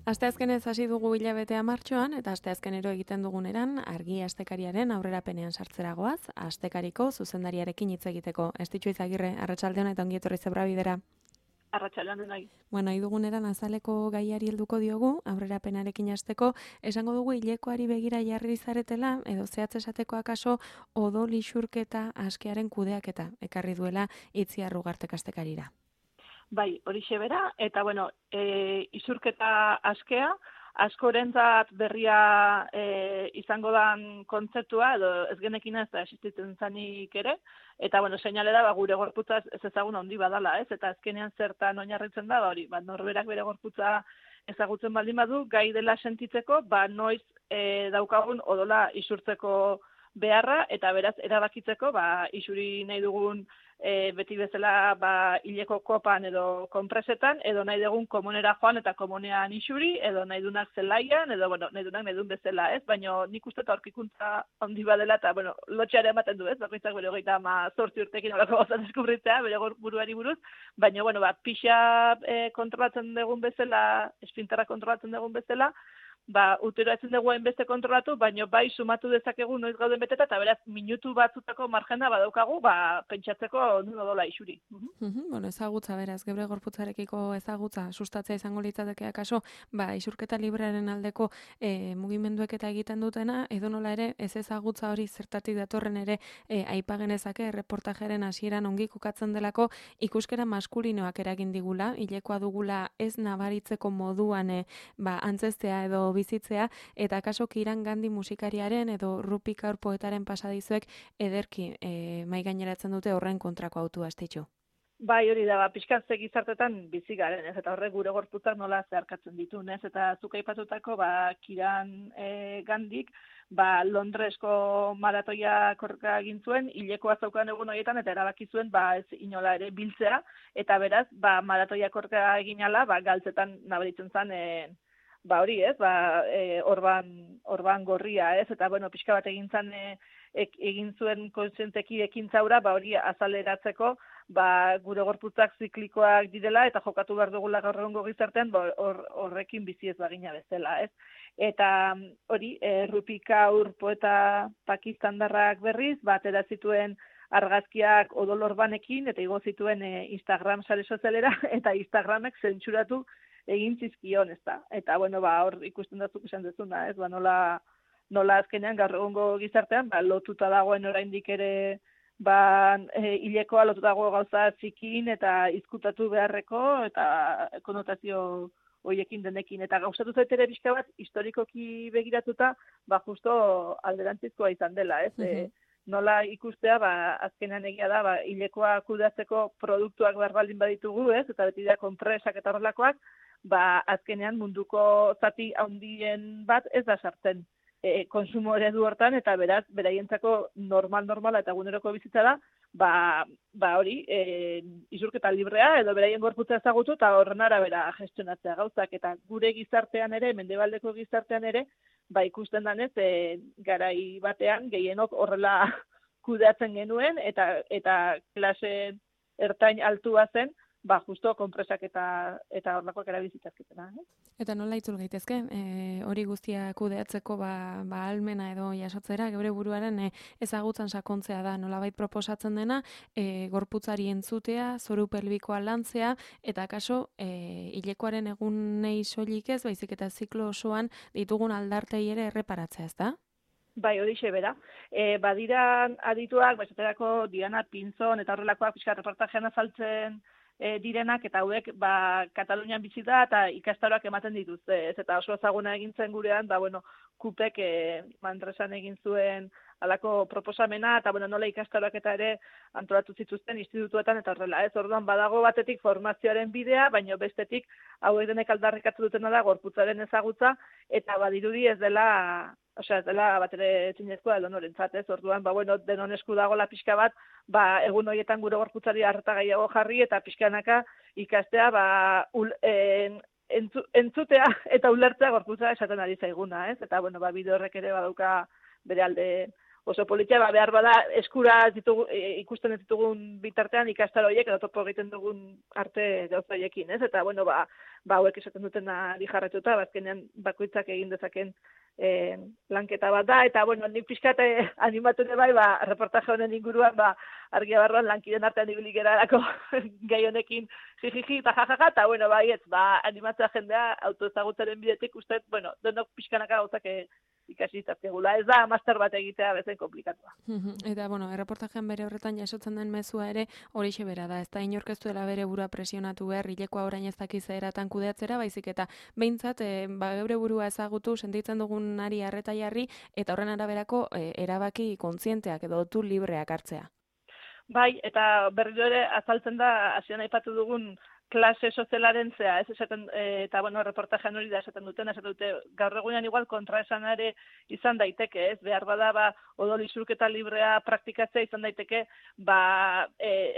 Asteazkenez hasi dugu hilabetea martxoan eta asteazkenero egiten duguneran argi astekariaren aurrerapenean sartzeragoaz, astekariko zuzendariarekin hitz egiteko. Estitxu Izagirre, arratsaldeon eta ongi etorri Zebra Bidera. Arratsaldeon nahi. Bueno, iduguneran azaleko gaiari helduko diogu, aurrerapenarekin hasteko, esango dugu hilekoari begira jarri zaretela, edo zehatz esateko akaso odol isurketa askearen kudeaketa ekarri duela Itziar Ugarte astekarira. Bai, horixe bera, eta isurketa askea, askorentzat berria izango dan kontzeptua, edo ez genekin ez da existitzen zanik ere, eta seinale da gure gorputza ez ezagun handi badala, ez? Eta azkenean zertan oinarritzen da, hori, norberak bere gorputza ezagutzen baldin badu, gai dela sentitzeko, noiz daukagun odola isurtzeko beharra, eta beraz erabakitzeko, isuri nahi dugun beti bezala hileko kopan edo konpresetan, edo nahi dugun komunera joan eta komunean isuri, edo nahi dunak zelaian, edo nahi duen bezala, ez? Baina nik uste eta aurkikuntza handi badela, eta lotxeare ematen du, ez? Bakoitzak bere 38 urtekin horako gozat deskubritzea, bere buruari buruz, baina pixa kontrolatzen dugun bezala, esfinterra kontrolatzen dugun bezala, utero etzen dugu hainbeste kontrolatu, baina sumatu dezakegu noiz gauden beteta, eta beraz, minutu batzutako margena badaukagu, pentsatzeko nun odola isuri. Ezagutza, beraz, gebre gorputzarekiko ezagutza, sustatzea izango litzateke akaso, isurketa librearen aldeko mugimenduek eta egiten dutena, edo nola ere, ez ezagutza hori zertatik datorren ere aipagenezake, erreportajeren hasieran ongi kokatzen delako, ikuskera maskulinoak eragin digula, hilekoa dugula ez nabaritzeko moduan antzestea edo bizitzea, eta kaso Kiran Gandhi musikariaren edo Rupi Kaur poetaren pasadizuek ederki mai gaineratzen dute horren kontrako autua Estitxu. Bai, hori da, pixkat ze gizartetan bizi garen, ez? Eta horrek gure gorputzak nola zeharkatzen ditun, ez? Eta zuk aipatutako Kiran Gandhik, Londresko maratoia korrika egin zuen, hilekoa zaukan egun horietan, eta erabaki zuen ez inola ere biltzea, eta beraz, maratoia korrika egin ala, galtzetan nabaritzen zen, hori, ez, orban gorria, ez, eta, pixka bat egin zuen kontzienteki ekintzaura, hori azaleratzeko, gure gorputzak ziklikoak direla, eta jokatu behar dugula gaur egungo gizartean, horrekin bizi ez bagina bezala, ez. Eta hori, Rupi Kaur poeta pakistandarrak berriz, atera zituen argazkiak odol orbanekin, eta igo zituen Instagram sare sozialera, eta Instagramek zentsuratu egin zizkion, ez da. Eta, hor ikusten dazuk esan dezuna, ez, nola azkenean gaur egungo gizartean, lotuta dagoen oraindik ere, hilekoa lotuta dago gauza txikin, eta izkutatu beharreko, eta konotazio hoiekin denekin. Eta gauzatu zait ere pixka bat, historikoki begiratuta, justo alderantzizkoa izan dela, ez. Nola ikustea, azkenean egia da, hilekoa kudeatzeko produktuak behar baldin baditugu, ez, eta beti da konpresak eta horrelakoak, azkenean munduko zati handien bat ez da sartzen konsumo eredu hortan, eta beraz, beraientzako normala eta eguneroko bizitza da, hori, isurketa librea, edo beraien gorputza ezagutu, eta horren arabera gestionatzea gauzak, eta gure gizartean ere, mendebaldeko gizartean ere, ikusten danez, garai batean, gehienok horrela kudeatzen genuen, eta klase ertain altua zen, justo konpresak eta horlakoak erabizitzazketena. Eta nola itzul gaitezke, hori guztia kudeatzeko ahalmena edo jasotzera, geure buruaren ezagutzan sakontzea da, nolabait proposatzen dena, gorputzari entzutea, zoru pelbikoa lantzea, eta kaso, hilekoaren egunei soilik ez, baizik eta ziklo osoan ditugun aldartei ere erreparatzea, ez da? Bai, horixe bera. Badiran adituak, esaterako Diana Pinzon eta horrelakoak pixka reportajean azaltzen direnak, eta hauek Katalunian bizi da eta ikastaroak ematen dituzte, ez, eta oso ezaguna egin zen gurean, Kupek Mandresan egin zuen halako proposamena, eta nola ikastaroak eta ere antolatu zituzten institutuetan eta horrela, ez, orduan badago batetik formazioaren bidea, baina bestetik hauek denek aldarrikatu dutena da gorputzaren ezagutza, eta badirudi ez dela bat ere zinezkoa edo norentzat, ez, orduan, denon esku dagoela pixka bat, egun horietan gure gorputzari harta gehiago jarri, eta pixkanaka ikastea, entzutea eta ulertzea gorputza esaten ari zaiguna, ez, eta, bide horrek ere badauka bere alde oso politia, behar bada eskura ikusten ez ditugun bitartean ikastaro horiek edo topo egiten dugun arte gauzaiekin, ez? Eta, bueno, hauek esaten dutena jarretuta, azkenean bakoitzak egin dezaken lanketa bat da, eta, bueno, nik pixkat animatu ere bai, reportaje honen inguruan, argia barruan lankiden artean ibili gerarako gai honekin jijiji eta jajaja, eta, bueno, animatzea jendea autoezagutzaren bidetik, uste, bueno, denok pixkanaka gauzak ikasi izatzegula. Ez da, master bat egitea bezain komplikatua. Eta, bueno, erreportajean bere horretan jasotzen den mezua ere horixe bera da. Ez da inorkeztuela bere burua presionatu behar, hilekoa orain ez dakiz eratan kudeatzera, baizik eta behintzat, geure burua ezagutu, sentitzen dugunari arreta jarri, eta horren araberako erabaki kontzienteak edo tu libreak hartzea. Bai, eta berriro ere azaltzen da, hasieran aipatu dugun klase sozialaren zea, ez esaten, eta bueno, reportajean hori da esaten dute, gaur egunean igual kontraesanare izan daiteke, ez, behar bada, odol isurketa librea praktikatzea izan daiteke,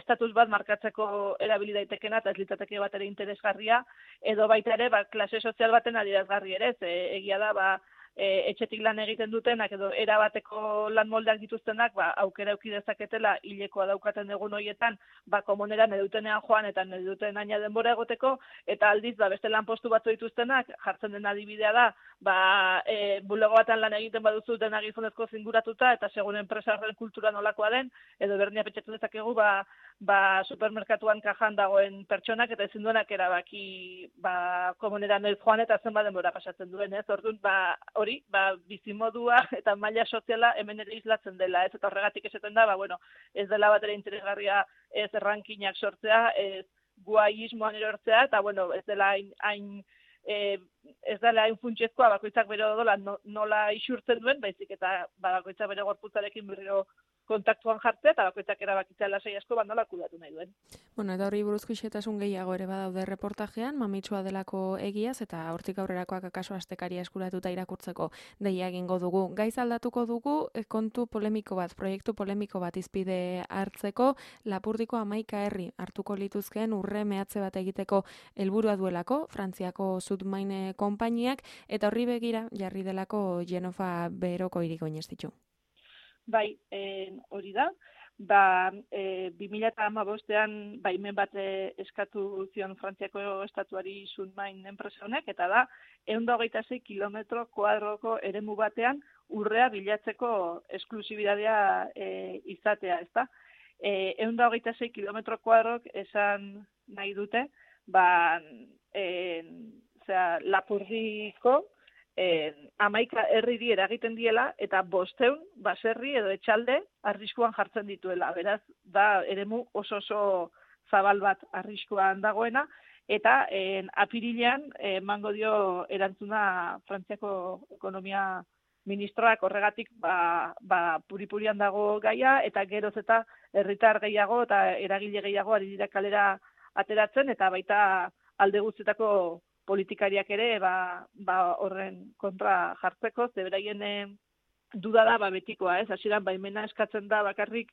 estatus bat markatzeko erabili daitekena, eta ez litzateke bat ere interesgarria, edo baita ere, klase sozial baten adierazgarri ere, egia da, etxetik lan egiten dutenak edo erabateko lan moldeak dituztenak, aukera eduki dezaketela hilekoa daukaten egun horietan, komuneran edutenean joan eta eduten aina denbora egoteko, eta aldiz, beste lanpostu batzu dituztenak, jartzen den adibidea da, bulego batan lan egiten baduzu dena gizonezko zinguratuta, eta segun enpresarren kultura nolakoa den, edo bernia pentsatzen dezakegu, supermerkatuan kajan dagoen pertsonak, eta ezin duenak erabaki komuneran ez joan eta zenbat denbora pasatzen duen, ez? Orduan, hori, bizimodua eta maila soziala hemen ere islatzen dela, ez? Eta horregatik esaten da, ez dela bat ere interesgarria ez rankinak sortzea, ez guaismoan erortzea, eta, bueno, ez dela hain funtsezkoa bakoitzak bere odola nola isurtzen duen, baizik eta bakoitzak bere gorputzarekin berriro kontaktuan jartzea, eta bakoitzak erabakitzea lasai asko nola kudatu nahi duen. Bueno, eta horri buruzko xetasun gehiago ere badaude reportajean, mamitsua delako egiaz, eta hortik aurrerakoak akaso astekaria eskuratuta irakurtzeko deia egingo dugu. Gaiz aldatuko dugu, kontu polemiko bat, proiektu polemiko bat izpide hartzeko, Lapurdiko 11 herri hartuko lituzkeen urre mehatze bat egiteko helburua duelako, Frantziako Sudmaine konpainiak, eta horri begira jarri delako Genofa beroko hiriko inestitu. Bai, hori da. 2015ean baimen bat eskatu zion Frantziako estatuari Sudmain enpresa honek, eta da 126 kilometro kuadroko eremu batean urrea bilatzeko esklusibidadea izatea, ezta? 126 kilometro kuadrok esan nahi dute, Lapurdiko 11 herriri eragiten diela, eta 500 baserri edo etxalde arriskuan jartzen dituela. Beraz, da eremu oso zabal bat arriskuan dagoena, eta apirilean emango dio erantzuna Frantziako ekonomia ministroak horregatik puripurian dago gaia, eta geroz eta herritar gehiago eta eragile gehiago ari dira kalera ateratzen, eta baita alde guztietako politikariak ere horren kontra jartzeko, zeberaien duda da betikoa, ez? Hasieran baimena eskatzen da bakarrik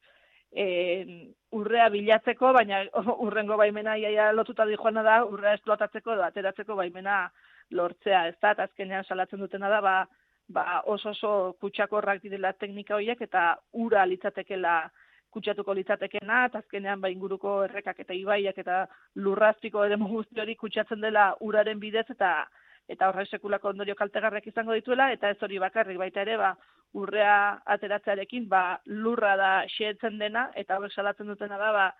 urrea bilatzeko, baina urrengo baimena iaia lotuta dijoana da urrea esplotatzeko edo ateratzeko baimena lortzea, ez da? Eta azkenean salatzen dutena da oso kutsakorrak direla teknika horiek, eta ura litzatekela kutsatuko litzatekena, eta azkenean inguruko errekak eta ibaiak eta lurrazpiko eremu guzti hori kutsatzen dela uraren bidez, eta horrek sekulako ondorio kaltegarriak izango dituela, eta ez hori bakarrik baita ere, urrea ateratzearekin, lurra da xehetzen dena, eta horrek salatzen dutena da,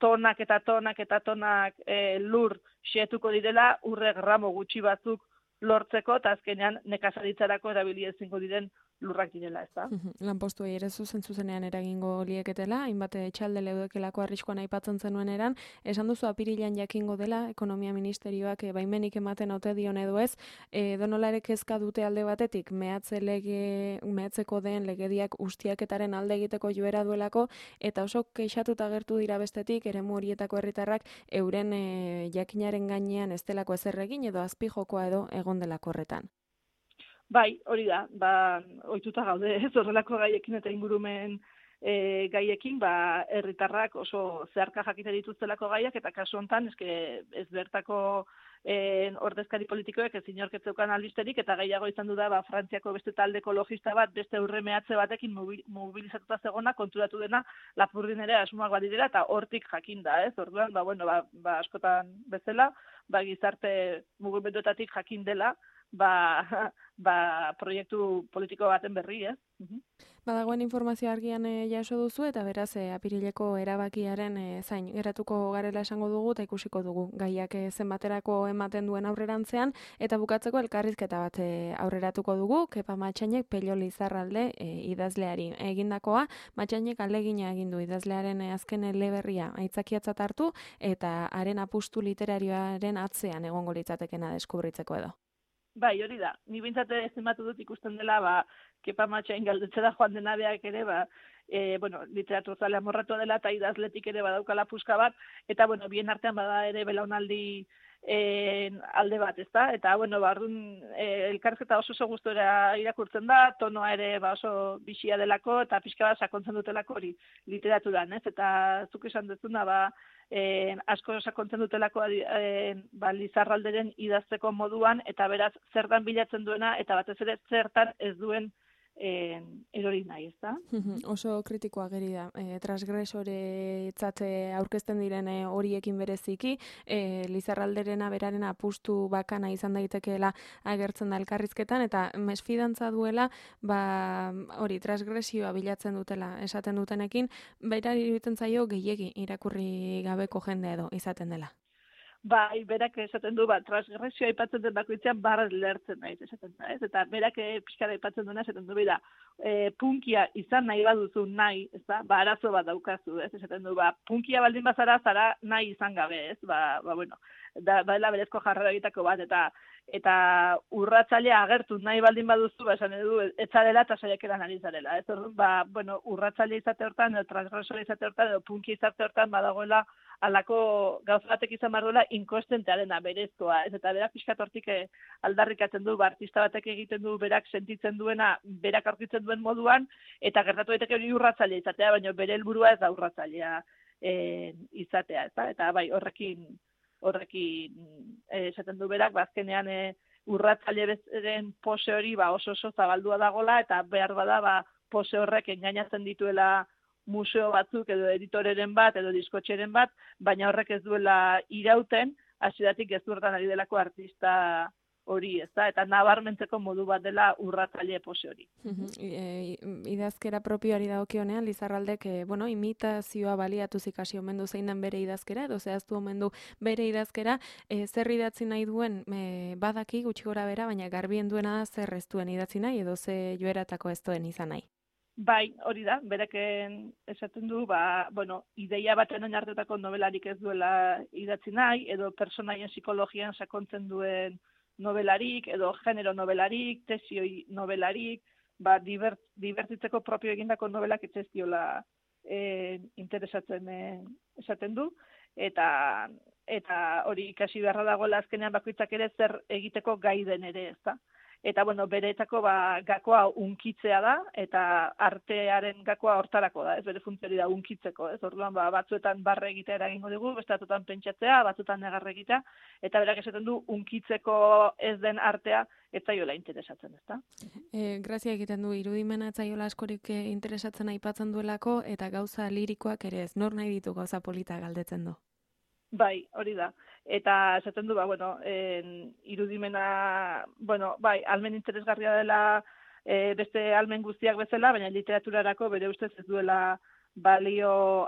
tonak eta tonak eta tonak lur xehetuko direla, urre gramo gutxi batzuk lortzeko, eta azkenean nekazaritzarako erabili ezingo diren lurrak direla, ez da? Lanpostuei ere zuzenean eragingo lieketela, hainbat etxalde leudekelako arriskuan aipatzen zenuen eran, esan duzu apirilean jakingo dela, ekonomia ministerioak baimenik ematen ote dion edo ez, donolarek kezka dute alde batetik, mehatzeko den legediak ustiaketaren alde egiteko joera duelako, eta oso kexatuta agertu dira bestetik, eremu horietako herritarrak euren jakinaren gainean ez delako ezer egin edo azpijokoa edo egon delako horretan. Bai, hori da, ohituta gaude, ez horrelako gaiekin eta ingurumen gaiekin, herritarrak oso zeharka jakite dituztelako gaiak, eta kasu honetan, ez bertako ordezkari politikoek ez inorketzeukan albisterik, eta gehiago izan du da, Frantziako beste talde ekologista bat, beste urremeatze batekin mobilizatuta zegona, konturatu dena, Lapurdin ere asmoak badirela, eta hortik jakin da, ez? Orduan, askotan bezala, gizarte mugimenduetatik jakin dela, proiektu politiko baten berri, ez? Badagoen informazio argian jaso duzu, eta beraz apirileko erabakiaren zain geratuko garela esango dugu, eta ikusiko dugu gaiak zenbaterako ematen duen aurrerantzean, eta bukatzeko elkarrizketa bat aurreratuko dugu, Kepa Matxainek Pello Lizarralde idazleari egindakoa. Matxainek ahalegina egin du idazlearen azken eleberria aitzakiatzat hartu, eta haren apustu literarioaren atzean egongo litzatekena deskubritzeko edo. Bai, hori da. Ni bintzate zenbatu dut ikusten dela, Kepa Matxain galdetzera joan denabeak ere, literaturzale amorratua dela, eta idazletik ere badaukala puska bat, eta, bien artean bada ere belaunaldi alde bat, ezta? Eta, orduan, elkarrizketa oso gustora irakurtzen da, tonoa ere oso bixia delako, eta pixka bat sakontzen dutelako hori literaturan, ez? Eta zuk esan duzuna, asko sakontzen dutelako Lizarralderen idazteko moduan, eta beraz zertan bilatzen duena, eta batez ere zertan ez duen erori nahi, ezta? Oso kritikoa geri da, transgresoretzat aurkezten diren horiekin bereziki, Lizarralderena beraren apustu bakana izan daitekeela agertzen da elkarrizketan, eta mesfidantza duela, hori transgresioa bilatzen dutela esaten dutenekin, baita iruditzen zaio gehiegi irakurri gabeko jende edo izaten dela. Bai, berak esaten du, transgresioa aipatzen den bakoitzean barrez lertzen naiz, esaten da, ez? Eta berak pixkara aipatzen duena, esaten du, punkia izan nahi baduzu nahi, ez da, arazo bat daukazu, ez? Esaten du, punkia baldin bazara, zara nahi izan gabe, ez? Baila berezko jarrera egitako bat, eta urratzailea agertu nahi baldin baduzu, esan edu, etzarela eta saiakeran ari zarela, ez? Orduan, urratzailea izate hortan, edo transgresora izate hortan, edo punkia izate hortan, badagoela alako gauza batek izan behar duela inkostentearena, berezkoa, ez? Eta berak pixkat hortik aldarrikatzen du, artista batek egiten du berak sentitzen duena, berak aurkitzen duen moduan, eta gertatu daiteke hori urratzailea izatea, baina bere helburua ez da urratzailea izatea, ez da? Eta bai, horrekin esaten du berak, azkenean urratzaileren pose hori oso zabaldua dagola, eta behar bada pose horrek engainatzen dituela museo batzuk edo editoreren bat edo diskotxeren bat, baina horrek ez duela irauten, hasieratik gezurtan ari delako artista hori, ezta? Eta nabarmentzeko modu bat dela urratzaile pose hori. Idazkera propioari dagokionean, Lizarraldek, imitazioa baliatuz ikasi omen du zein den bere idazkera, edo zehaztu omen du bere idazkera, zer idatzi nahi duen badaki gutxi gora bera, baina garbien duena da zer ez duen idatzi nahi, edo ze joeratako ez duen izan nahi. Bai, hori da, bereken esaten du, ideia baten oinarritutako nobelarik ez duela idatzi nahi, edo personaien psikologian sakontzen duen nobelarik, edo genero nobelarik, tesioi nobelarik, dibertitzeko propio egindako nobelak ez diola interesatzen esaten du, eta hori ikasi beharra dagoela azkenean bakoitzak ere zer egiteko gai den ere, ezta? Eta, bereetako gakoa unkitzea da, eta artearen gakoa hortarako da, ez bere funtzioari da unkitzeko, ez? Orduan, batzuetan barre egitea eragingo dugu, bestatutan pentsatzea, batzuetan negarre egitea, eta berak esaten du unkitzeko ez den artea, ez zaiola interesatzen, ezta? Grazia egiten du, irudimena ez zaiola askorik interesatzen aipatzen duelako, eta gauza lirikoak ere ez, nor nahi ditu gauza polita galdetzen du. Bai, hori da. Eta esaten du, irudimena, almen interesgarria dela beste almen guztiak bezala, baina literaturarako bere ustez ez duela balio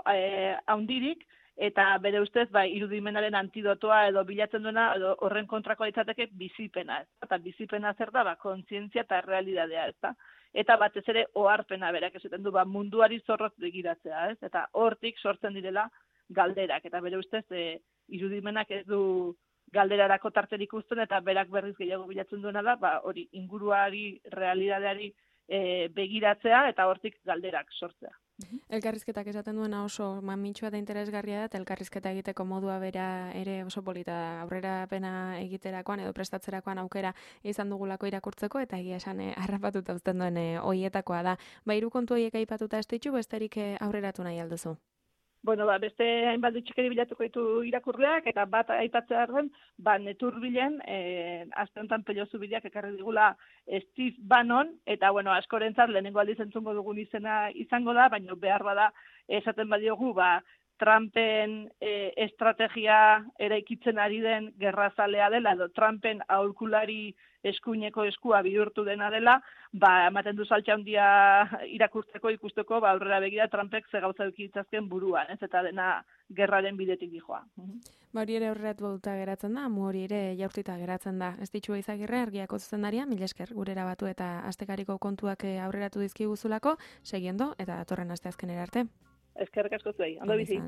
haundirik, eta bere ustez, irudimenaren antidotoa edo bilatzen duena, edo horren kontrakoa ditzateke bizipena, ez? Eta bizipena zer da, kontzientzia eta realidadea, ez da? Eta batez ere oharpena berak esaten du, munduari zorrotz begiratzea, ez? Eta hortik sortzen direla galderak, eta bere ustez irudimenak ez du galderarako tarterik uzten, eta berak berriz gehiago bilatzen duena da, hori inguruari, realidadeari begiratzea, eta hortik galderak sortzea. Elkarrizketak esaten duena oso mamitsua eta interesgarria da, eta elkarrizketa egiteko modua bera ere oso polita da, aurrerapena egiterakoan edo prestatzerakoan aukera izan dugulako irakurtzeko, eta egia esan harrapatuta uzten duen hoietakoa da. Hiru kontu horiek aipatuta ez ditu, besterik aurreratu nahi alduzu? Bueno, beste hainbat txikeri bilatuko ditu irakurleak, eta bat aipatzearen, Neturbilen, aste honetan Pelozu bideak ekarri digula Steve Bannon, eta, askorentzat lehenengo aldiz entzungo dugun izena izango da, baina behar bada esaten badiogu, Trumpen estrategia eraikitzen ari den gerrazalea dela, edo Trumpen aholkulari eskuineko eskua bihurtu dena dela, ematen du saltxa handia ikusteko, aurrera begira Trumpek ze gauza edukitzazken buruan, ez eta dena gerraren bidetik dijoa. Hori ere horretu duta geratzen da, hori ere jaurtita geratzen da. Ez ditxua Izagirre, Argiako zuzendaria, mila esker gurera batu eta astekariko kontuak aurreratu dizkiguzulako, segiendo eta datorren asteazkenera arte. Eskerrik asko zuei, ondo bizi.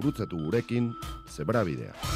Gurutzatu gurekin Zebrabidea.